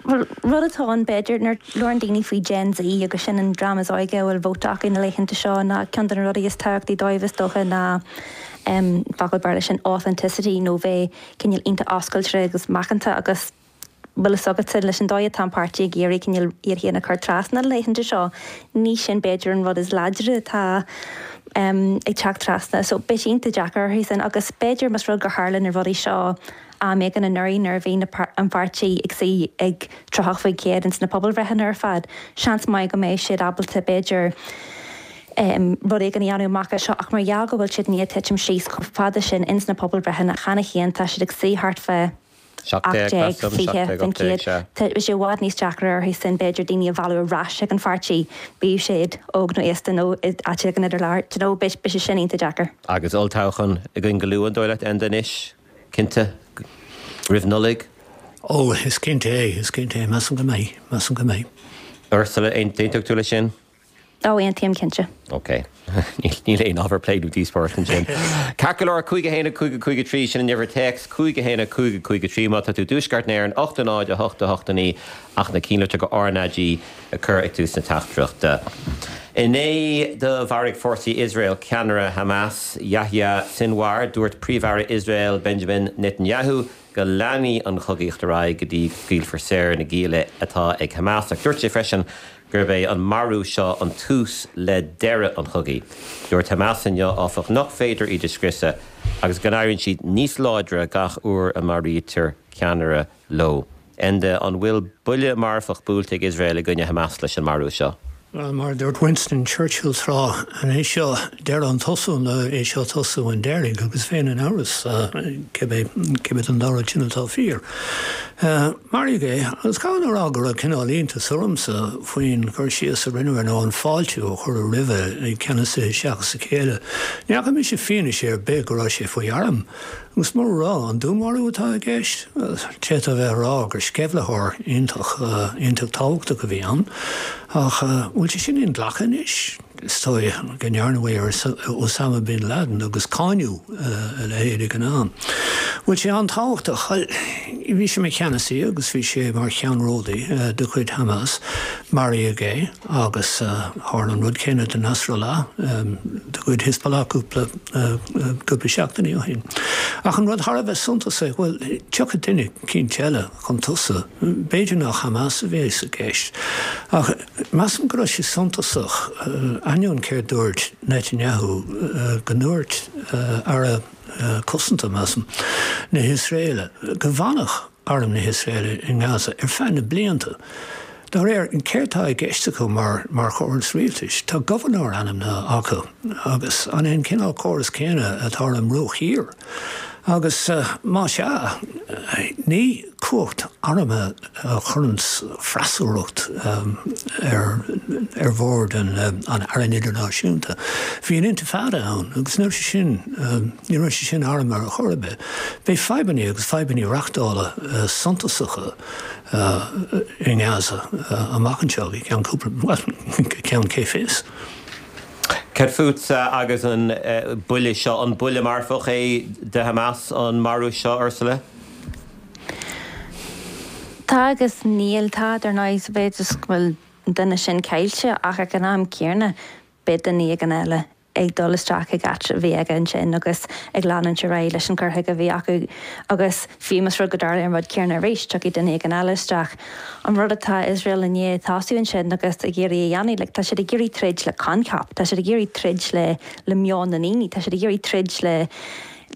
rud atá ann b'fhéidir nuair a labhrann daoine faoi Gen Z agus sin an dream is óige a bhfuil vóta acu na laethanta seo ná ceann de na rudaí is tábhachtaí dóibh is dócha ná focal Béarla sin authenticity nó bheith cineál iontach oscailte agus macánta agus bhfuil fhios agatsa leis an dóigh atá an páirtí ag iarraidh cineál iad féin a chur trasna na laethanta seo ní sin b'fhéidir an rud is láidre atá ag teacht trasna. So beidh sé iontach deacair orthu sin agus b'fhéidir más rud gur tharla na rudaí seo am éigin anuraidh nuair a bhí an pháirtí ag suí ag 30% ins na pobalbhreitheanna ar fad, seans maith go mbeadh siad ábalta b'fhéidir rud éigin a dhéanamh amach as seo ach mar gheall go bhfuil siad i ndiaidh titim síos chomh fada sin ins na pobalbhreitheanna cheana féin tá siad ag suí thart fá 18, 20%. Tá sé i bhfad níos deacra orthu sin b'fhéidir daoine a mhealladh ar ais ag an pháirtí, bíodh siad óg nó aosta nó áit éigin idir lár. Do you know, beidh sé sin iontach deacair. Agus olltoghchán againn go luath, an dóigh leat, Enda, anois? Cinnte, roimh Nollaig? Ó, is cinnte é, is cinnte é, measaim go mbeidh, measaim go mbeidh. Ursula, aontóidh tú leis sin? Ó, aontaím, cinnte. Ok. Níl aon ábhar plé nó díospóireacht ansin. Ceart go leor, 5 1 5 5 3, sin an uimhir téacs, 5 1 5 5 3, má tá tú i dtuaisceart na hÉireann, 8 0 8 8 9, ach na cinnlitreacha RnaG a chur ag tús na teachtaireachta. Inné do mharaigh fórsaí Iosrael ceannaire Hamas, Yahya Sinwar. Dúirt Príomh-Aire Iosrael Benjamin Netanyahu go leanfaidh an chogaíocht ar aghaidh go dtí go scaoilfear saor na gialla atá ag Hamas ach dúirt sé freisin gurb é an marú seo an tús le deireadh an chogaidh. Dúirt Hamas inniu, áfach, nach féidir iad a scriosadh agus go n-éiríonn siad níos láidre gach uair a maraítear ceannaire leo. Enda, an bhfuil buille marfach buailte ag Iosrael i gcoinne Hamas leis an marú seo? Bhuel, mar a dúirt Winston Churchill tráth, an é seo deireadh an tosú nó é seo tosú an deiridh, agus bheinn in amhras cibé cibé den dá rud sin atá fíor. Maraíodh é, agus caithfidh mé a rá go raibh cineál iontas ormsa faoin gcur síos a rinneadh air nó an fáiltiú a cuireadh roimhe ag ceannasaithe seachas a chéile. Ní fhaca mise fianaise ar bith go raibh sé faoi arm. Agus mura raibh, an dúnmharú atá i gceist? D'fhéadfá a bheith ag rá gur sceimhlitheoir iontach, iontach tábhachtach a bhí ann. Ach an bhfuil sé sin inghlactha anois? is dóigh go ndearnadh é ar Osama Bin Laden agus cáineadh a leithéid ag an am. Bhfuil sé an-tábhachtach? Bhuel, bhí sé mar cheannasaí agus bhí sé mar cheannródaí de chuid Hamas. Maraíodh é agus tharla an rud céanna do Nasrallah de chuid Hezbollah cúpla cúpla seachtainí ó shin. Ach an rud thar a bheith suntasach, bhuel, tiocfaidh duine eicínt eile chun tosaigh. B'fhéidir nach Hamas a bheas i gceist, ach measaim go raibh sé suntasach, ainneoin céard dúirt Netanyahu, go ndúirt Aire Cosanta, measaim, na hIosraeile go bhfanfadh arm na hIosraeile i nGaza ar feadh na blianta. Dá réir, céard tá i gceist acu mar mar chóras rialtais? Tá gobharnóir ainmnithe acu agus an é an cineál córas céanna atá ar an mBruach Thiar? Agus más ea, ní cumhacht armtha a chuireanns freasúracht ar ar bhord an an airne idirnáisiúnta. Bhí an Intifada ann agus ní raibh sé sin ní raibh sé sin armtha ar chor ar bith. Beidh fadhbanna agus fadhbanna reachtála suntasacha i nGaza amach anseo go ceann cúpla, bhuel, go ceann cé fios. Cad fútsa agus an buille seo? An buille marfach é do Hamas an marú seo, Ursula? Tá agus níl. Tá, dar ndóigh, sa mhéid is go bhfuil an duine sin caillte ach ag an am céanna beidh duine éigin eile ag dul isteach ag áit a bhí aige ansin agus ag leanúint ar aghaidh leis an cur chuige a bhí acu agus fiú más rud go dtarlaíonn an rud céanna arís, tiocfaidh duine éigin eile isteach. An rud atá Iosrael i ndiaidh tosú ansin agus ag iarraidh a dhéanamh, like, tá siad ag iarraidh troid le coincheap, tá siad ag iarraidh troid le le meon na ndaoine, tá siad ag iarraidh troid le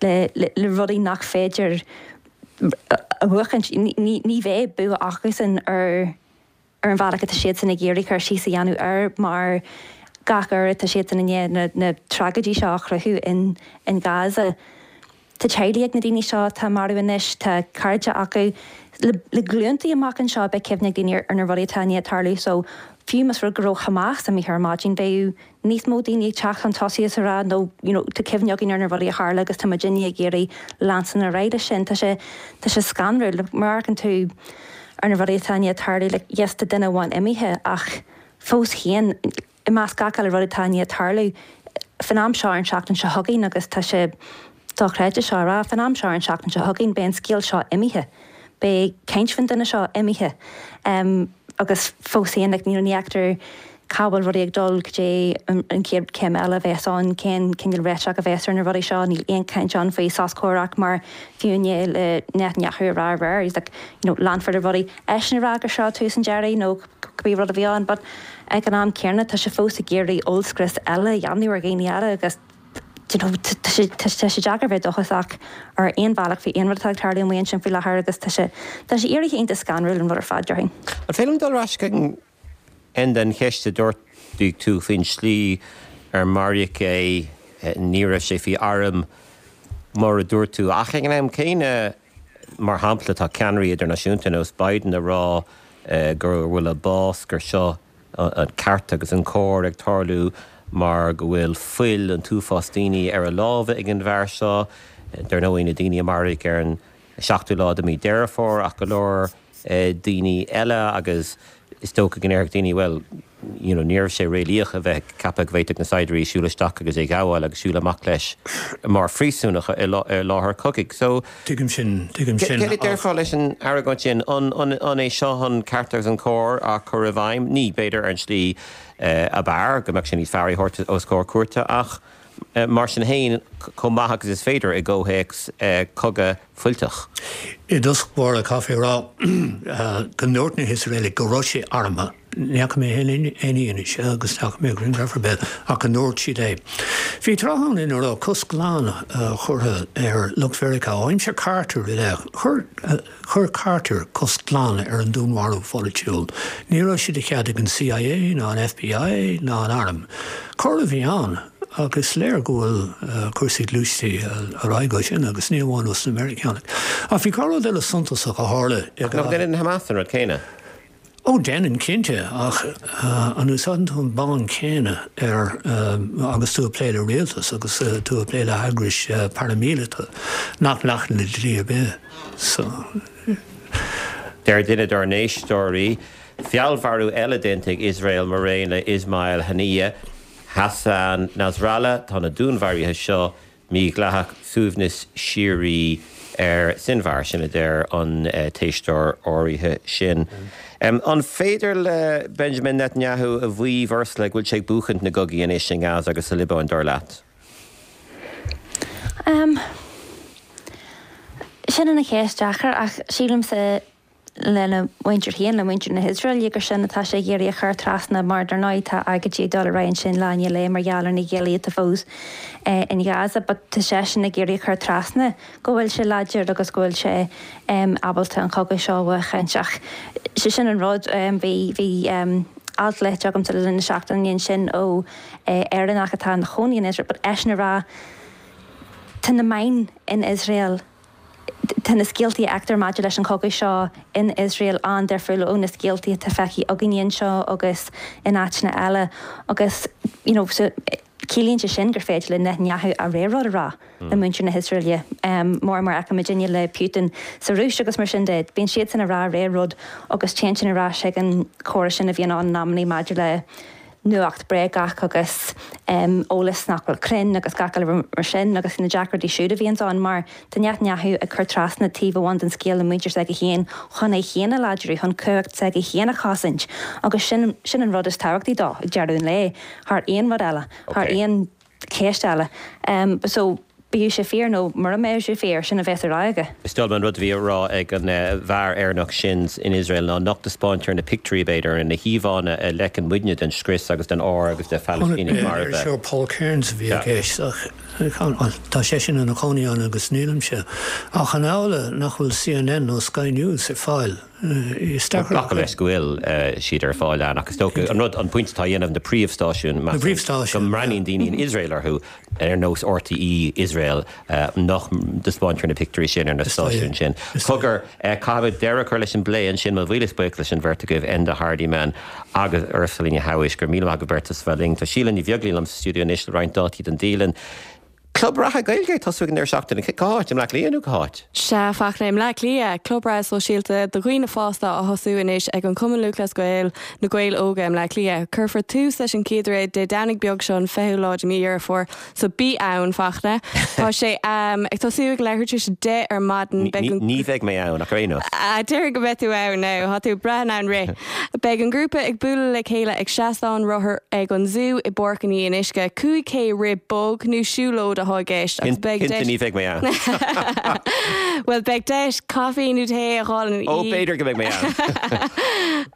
le le le rudaí nach féidir a bhuachaint. Ní ní bheidh bua acusan ar ar an bhealach atá siadsan ag iarraidh cur síos a dhéanamh air mar gach uair atá siadsan i ndiaidh na na tragóidí seo a chruthú in in Gaza. Tá teaghlaigh ag na daoine seo atá marbh anois, tá cairde acu. Le le glúntaí amach anseo beidh cuimhne ag daoine ar na rudaí atá i ndiaidh tarlú so fiú más rud go raibh Hamas imithe ar maidin bheadh níos mó daoine ag teacht chun tosaigh is a rá no you know tá cuimhne againn ar na rudaí a tharla agus tá muidinne ag iarraidh leanstan ar aghaidh leis sin. Tá sé tá sé scanrúil. Like má amharcann tú ar na rudaí atá i ndiaidh tarlú like yes tá duine amháin imithe ach fós féin i measc gach uile rud atá i ndiaidh tarlú fán am seo ar an seachtain seo chugainn agus tá sé dochreidte seo a rá, fán am seo ar an seachtain seo chugainn beidh an scéal seo imithe, beidh caint faoin duine seo imithe agus fós féin like ní fheictear cá bhfuil rudaí ag dul, cad é an chéad chéim eile a bheas ann, cén cineál réiteach a bheas ar na rudaí seo, níl aon chaint ann faoi sos comhraic mar fiú i ndiaidh le Netanyahu a rá aréir, he's like you know leanfar le rudaí, eisean a rá gur seo tús an deiridh nó cibé rud a bhí ann but ag an am céanna tá sé fós ag iarraidh ollscrios eile a dhéanamh ar dhaoine eile agus you know tá sé tá sé deacair bheith dóchasach ar aon bhealach faoi aon rud atá ag tarlú amuigh ansin faoi láthair agus tá sé tá sé éirithe iontach scanrúil an rud ar fad déarfainn. An féidir liom dul ar ais chuig an cheist a d'ardaigh tú faoin slí ar maraíodh é, ní raibh sé faoi airm mar a dúirt tú ach ag an am céanna mar shampla tá ceannairí idirnáisiúnta nós Biden ag rá go bhfuil a bás gur seo an ceart agus an cóir ag tarlú mar go bhfuil fuil an t-uafás daoine ar a lámha ag an bhfear seo. Dar ndóigh, na daoine a maraíodh ar an seachtú lá de mhí Deireadh Fómhair ach go leor daoine eile agus is dócha go ndéarfadh daoine, bhuel, you know, ní raibh sé réalaíoch a bheith ag ceapadh go bhféadfadh na saighdiúirí siúl isteach agus é a ghabháil agus siúl amach leis mar phríosúnach i láthair cogaidh. So. Tuigim sin, tuigim sin, Céard a déarfá leis an argóint sin? An é seo an ceart agus an cóir á chur i bhfeidhm? Ní, b'fhéidir, ar an tslí ab fhearr, go mbeadh sé níos fearr é a thabhairt os comhair cúirte, ach mar sin féin, chomh maith agus is féidir i gcomhthéacs cogadh fuilteach. I dtosach báire, caithfidh mé a rá go ndúirt na hIosraelaigh go raibh sé armtha. Ní fhaca mé aon fhianaise agus ní fhaca mé grianghraf ar bith ach go ndúirt siad é. Bhí tráth ann ina raibh cosc glan curtha ar lucht Mheiriceá ó aimsir Carter i leith. Chuir Chuir Carter cosc glan ar an dúnmharú pholaitiúil. Ní raibh sé de chead ag an CIA ná an FBI ná an Arm. Cor a bhí ann ach is léir go bhfuil cúrsaí gluaiste ar aghaidh ó sin agus ní amháin ós na Meiriceánaigh. Ach bhí rud eile suntasach a tharla i Ach nach ndéanann Hamas an rud céanna? Ó, déanann, cinnte, ach an úsáideann tú an bonn céanna ar agus tú ag plé le rialtas agus tú ag plé le heagrais paraimíleata nach nglacann le dlí ar bith? So. Deir duine dár n-éisteoirí, feallmharú eile déanta ag Iosrael maraon le Ismail Haniyeh. Hassan Nasrallah, Tá na dúnmharuithe seo mídhleathach, suaimhneas síoraí ar Sinwar, sin a deir an t-éisteoir áirithe sin. An féidir le Benjamin Netanyahu a mhaíomh, Ursula, go bhfuil sé ag buachaint na gcogaí anois i nGaza agus sa Liobáin, dar leat? Sin ana cheist deacair ach sílimse lena mhuintir féin, le muintir na hIosraeile, gur sin atá sé ag iarraidh a chur trasna mar dar ndóigh tá agóidí ag dul ar aghaidh ansin lá i ndiaidh lae mar gheall ar na giallaí atá fós in Gaza but tá seisean ag iarraidh a chur trasna go bhfuil sé láidir agus go bhfuil sé ábalta an cogadh seo a bhuachaint ach sé sin an rud bhí bhí alt léite agamsa le linn na seachtaine ansin ó Éireannach atá ina chónaí in Iosrael but eisean ag rá tá na meáin in Iosrael Tá na scéaltaí a fheictear maidir leis an chogadh seo in Iosrael an-difriúil ó na scéaltaí atá feicthe againne anseo agus in áiteanna eile agus you know so ciallaíonn sé sin gur féidir le Netanyahu a rogha rud a rá le muintir na hIosraeile mar mar a fheicimidinne le Putin sa Rúis agus mar sin de. Bíonn siadsan ag rá a rogha rud agus téann sin ar ais ag an chóras sin a bhíonn ann in amannaí maidir le nuacht bréagach agus eolas nach bhfuil cruinn agus gach uile rud mar sin agus na deacrachtaí siúd a bhíonns ann mar tá Netanyahu ag cur trasna taobh amháin den scéal le muintir s'aige féin chun é féin a láidriú, chun cumhacht s'aige féin a chosaint agus sin sin an rud is tábhachtaí dó ag deireadh an lae thar aon rud eile, thar aon cheist eile. So, bíodh sé fíor nó mura mbeadh sé fíor, sin a bheas á rá aige. Is dóigh liom an rud a bhí á rá ag an bhfear Éireannach sin in Iosrael ná nach dtaispeáintear na pictiúirí, b'fhéidir, na híomhánna a fheiceann muidne den scrios agus den ár agus de Phalaistínigh marbha. Iriseoir Paul Kearns a bhí i gceist ach tá seisean ina chónaí ann agus nílimse. Ach an amhlaidh nach bhfuil CNN nó Sky News ar fáil? Glacadh leis go bhfuil siad ar fáil ann ach is dócha an rud, an pointe atá á dhéanamh, na príomhstáisiúin, measaim, go mbreathnaíonn daoine in Iosrael orthu, ar nós RTÉ Iosrael, nach dtaispeáintear na pictiúirí sin ar na stáisiúin sin. Cogar, caithfimid deireadh a chur leis an bplé ansin, mo mhíle buíochas leis an bheirt agaibh, Enda Hardiman agus Ursula Ní Shamhais, go raibh míle maith agaibh beirt as a bheith linn. Tá Síle Ní Bheaglaoí liom sa stiúideo anois le roinnt dátaí don dialann. Club reatha Gaeilge ag tosú ag an deireadh seachtaine. Cá háit? I mBleá Cliath nó cá háit? Sea, a Fachtna, i mBleá Cliath. Club reatha sóisialta do dhaoine fásta á thosú anois ag an Chumann Lúthchleas Gael, Na Gaeil Óga i mBleá Cliath. Cuirfear tús leis an chéad rith Dé Domhnaigh beag seo an 20ú lá de mí Dheireadh Fómhair, so bí ann, Fachtna. Tá sé ag tosú ag leathuair tar éis 10 ar maidin. Beidh an. Ní bheidh mé ann ach ar aon nós. Déarfainn go mbeidh tú ann now. Tá tú ag brath in ann rith. Beidh an grúpa ag bualadh le chéile ag seastán rothar ag an Zú i bPáirc an Fhionnuisce. 5K rith bog nó siúlóid atá i gceist agus beidh deis. Cinnte ní bheidh mé ann. Bhuel, beidh deis caife nó tae a fháil in. Ó, b'fhéidir go mbeidh mé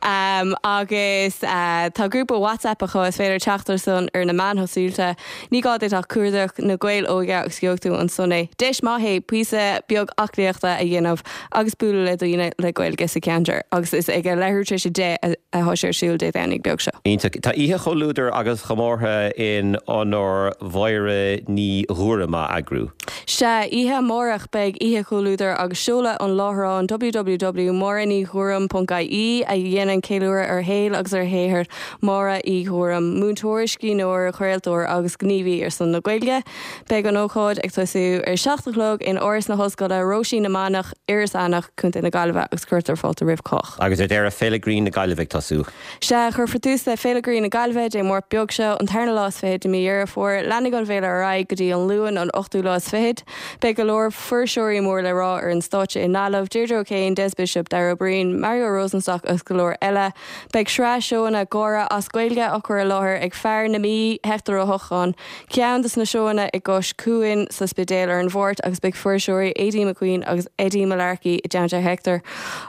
ann. Agus tá grúpa WhatsApp acu, is féidir teacht air san ar na meáin shóisialta. Ní gá duit ach cuardach Na Gaeil Óga agus gheobhaidh tú ansan é. Deis maith é píosa beag aclaíochta a dhéanamh agus bualadh le daoine le Gaeilge sa cheantar agus is ag a leathuair tar éis 10 atá sé ar siúl Dé Domhnaigh beag seo. Iontach. Tá oíche chomhluadair agus chomórtha in onóir Mháire Ní Ghuairim á eagrú. Sea, oíche amárach beidh oíche chomhluadair agus seoladh an láithreáin www.máirenighuairim.ie a dhéanann ceiliúradh ar shaol agus ar shaothar Máire Uí Ghuairim, múinteoir, scríbhneoir, craoltóir agus gníomhaí ar son na Gaeilge. Beidh an ócáid ag tosú ar 7 a chlog in Áras na hOllscoile, Róisín na Manach, Iorras Aithneach, Co. na Gaillimhe agus cuirtear fáilte roimh chách. Agus ar deireadh, Féile Grinn na Gaillimhe ag tosú. Sea, cuirfear tús le Féile Grinn na Gaillimhe Dé Máirt beag seo, an tarna lá is fichead de mí Dheireadh Fómhair. Leanfaidh an bhféile ar aghaidh go dtí an Luan, an ochtú lá is fichead. Beidh go leor fuirseoirí mór le rá ar an stáitse i nGaillimh, Deirdre O'Kane, Des Bishop, Dara Ó Briain, Mario Rosenstock agus go leor eile. Beidh sraith seóanna gáire as Gaeilge á cur i láthair ag fear na Mí, Hector Ó hEochagáin. Ceann de na seóanna i gCois Cuain sa Spidéal ar an Mháirt agus beidh fuirseoirí Aideen McQueen agus Eddie Mullarkey i dteannta Hector.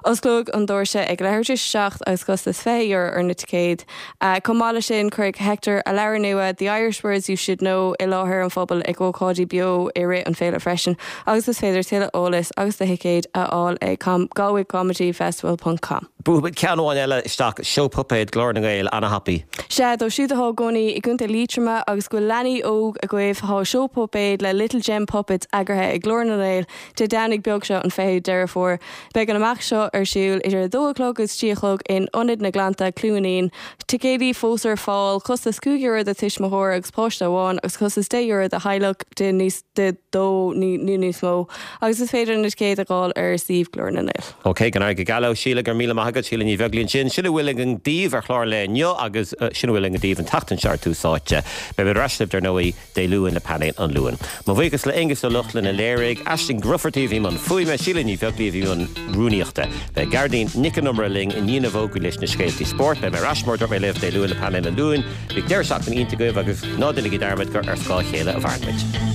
Osclóidh an doirse ag leathuair tar éis a 7 agus costas €20 ar na ticéid. Chomh maith leis sin cuirfidh Hector a leabhar nua The Irish Words You Should Know i láthair an phobail ag ócáidí beo i rith an féile freisin agus is féidir tuilleadh eolais agus do thicéid a fháil ag galwaycomedyfestival ponc com. Buafaimid ceann amháin eile isteach, Seó Puipéad, Glór na nGael, ana-thapaidh. Sea, dóibh siúd atá i gcónaí i gContae Liatroma agus go bhfuil leanaí óg agaibh, tá seó puipéad le Little Gem Puppets eagraithe ag Glór na nGael Dé Domhnaigh beag seo an 20ú Deireadh Fómhair. Beidh an imeacht seo ar siúl idir 2 a chlog agus 3 a chlog in Ionad na nGleannta, Cluain Fhionn. Ticéidí fós ar fáil, costas €5 do tuismitheoir agus páiste amháin agus costas €10 do theaghlach de níos de dó nó níos mó agus is féidir na ticéid a fháil ar suíomh Glór na nGael. Ok, go n-éirí go geal leo. Síle, go raibh míle maith agat. agat, Síle Ní Bheaglaoí ansin. Sin a bhfuil againn daoibh ar chlár an lae inniu agus sin a bhfuil againn daoibh an tseachtain seo ar Tús Áite. Beimid ar ais libh, dar ndóigh, Dé Luain le Painéal an Luain. Mo bhuíochas le Aonghus Ó Lochlainn a léirigh, Aisling Grufferty a bhí i mbun fuaime, Síle Ní Bheaglaoí a bhí i mbun rúnaíochta. Beidh Gearóidín Nic an Iomaire linn i ndiaidh na bhfógraí leis na scéaltaí spóirt. Beidh mé ar ais, mar a dúirt mé libh, Dé Luain le Painéal an Luain. Bíodh deireadh seachtaine iontach agaibh agus ná déanaigí dearmad gur ar scáth a chéile a mhaireann muid.